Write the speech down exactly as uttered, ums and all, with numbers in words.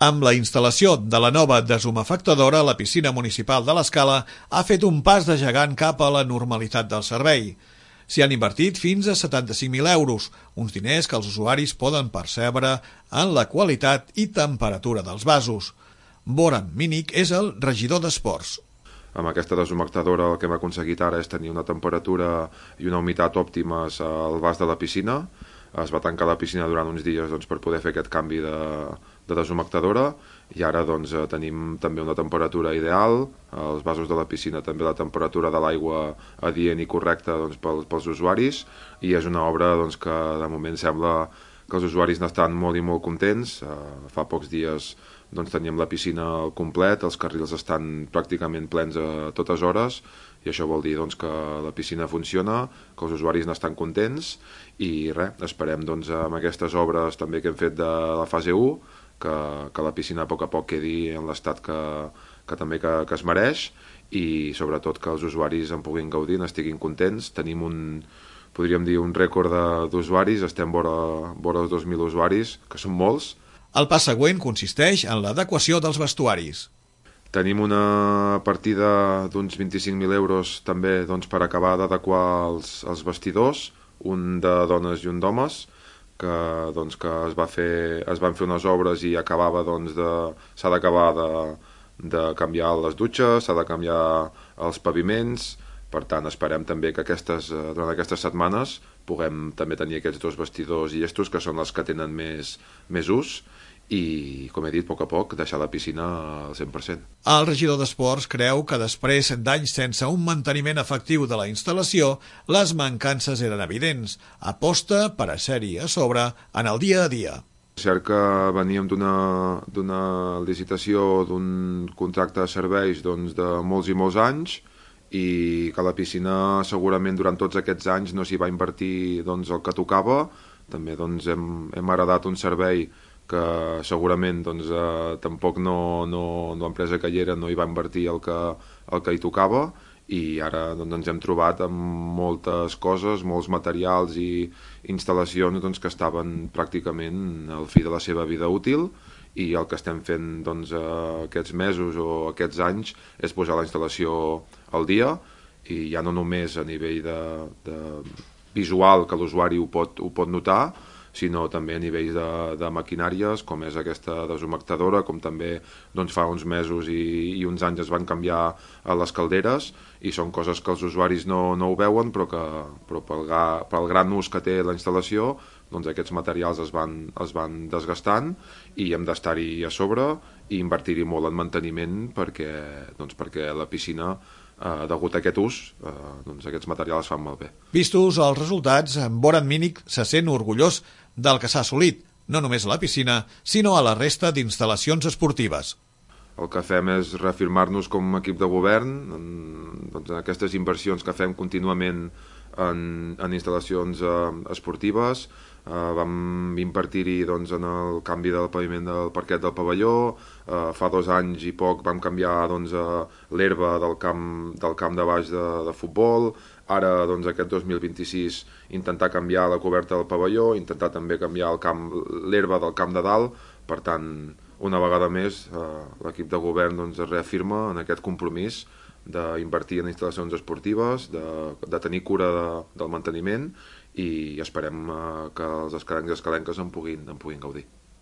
Amb la instal·lació de la nova deshumefactadora, la piscina municipal de l'Escala ha fet un pas de gegant cap a la normalitat del servei. S'hi han invertit fins a setanta-cinc mil euros, uns diners que els usuaris poden percebre en la qualitat i temperatura dels vasos. Boran Minic és el regidor d'Esports. Amb aquesta deshumectadora el que hem aconseguit ara és tenir una temperatura i una humitat òptimes al vas de la piscina. Es va tancar la piscina durant uns dies doncs, per poder fer aquest canvi de, de deshumectadora i ara doncs, tenim també una temperatura ideal, els vasos de la piscina també la temperatura de l'aigua adient i correcta doncs, pels, pels usuaris i és una obra doncs, que de moment sembla que els usuaris n'estan molt i molt contents. Uh, fa pocs dies doncs, teníem la piscina al complet, els carrils estan pràcticament plens a totes hores i això vol dir doncs, que la piscina funciona, que els usuaris n'estan contents i res, esperem doncs, amb aquestes obres també que hem fet de la fase u que, que la piscina a poc a poc quedi en l'estat que, que també que, que es mereix i sobretot que els usuaris en puguin gaudir, n'estiguin contents. Tenim un, podríem dir, un rècord d'usuaris, estem vora, vora els dos mil usuaris, que són molts. El pas següent consisteix en l'adequació dels vestuaris. Tenim una partida d'uns vint-i-cinc mil euros també doncs, per acabar d'adequar els, els vestidors, un de dones i un d'homes, que, doncs, que es, va fer, es van fer unes obres i acabava doncs, de, s'ha d'acabar de, de canviar les dutxes, s'ha de canviar els paviments, per tant esperem també que aquestes, durant aquestes setmanes puguem també tenir aquests dos vestidors llestos que són els que tenen més, més ús i, com he dit, a poc a poc deixar la piscina al cent per cent. El regidor d'Esports creu que després d'anys sense un manteniment efectiu de la instal·lació, les mancances eren evidents. Aposta per a ser-hi a sobre en el dia a dia. És cert que veníem d'una licitació d'un contracte de serveis doncs, de molts i molts anys i que la piscina segurament durant tots aquests anys no s'hi va invertir doncs, el que tocava. També doncs, hem, hem heredat un servei que segurament doncs, eh, tampoc no, no, l'empresa que hi era no hi va invertir el que, el que hi tocava i ara doncs, ens hem trobat amb moltes coses, molts materials i instal·lacions doncs, que estaven pràcticament al fi de la seva vida útil i el que estem fent doncs, aquests mesos o aquests anys és posar la instal·lació al dia i ja no només a nivell de, de visual que l'usuari ho pot, ho pot notar, sinó també a nivell de, de maquinàries, com és aquesta deshumectadora, com també doncs, fa uns mesos i, i uns anys es van canviar a les calderes, i són coses que els usuaris no, no ho veuen, però que però pel, pel gran ús que té la instal·lació, doncs aquests materials es van, es van desgastant i hem d'estar-hi a sobre i invertir-hi molt en manteniment perquè, doncs, perquè la piscina Uh, degut a aquest ús, uh, doncs aquests materials fan malbé. Vistos els resultats, Boran Minic se sent orgullós del que s'ha assolit, no només a la piscina, sinó a la resta d'instal·lacions esportives. El que fem és reafirmar-nos com a equip de govern en, doncs, en aquestes inversions que fem contínuament en, en instal·lacions uh, esportives. Uh, vam invertir-hi doncs, en el canvi del paviment del parquet del pavelló, uh, fa dos anys i poc vam canviar doncs, uh, l'herba del camp, del camp de baix de, de futbol, ara doncs, aquest dos mil vint-i-sis intentar canviar la coberta del pavelló, intentar també canviar l'herba del camp de dalt, per tant, una vegada més uh, l'equip de govern doncs, es reafirma en aquest compromís d'invertir en instal·lacions esportives, de, de tenir cura de, del manteniment i esperem uh, que els escalencs i escalenques en puguin, en puguin gaudir.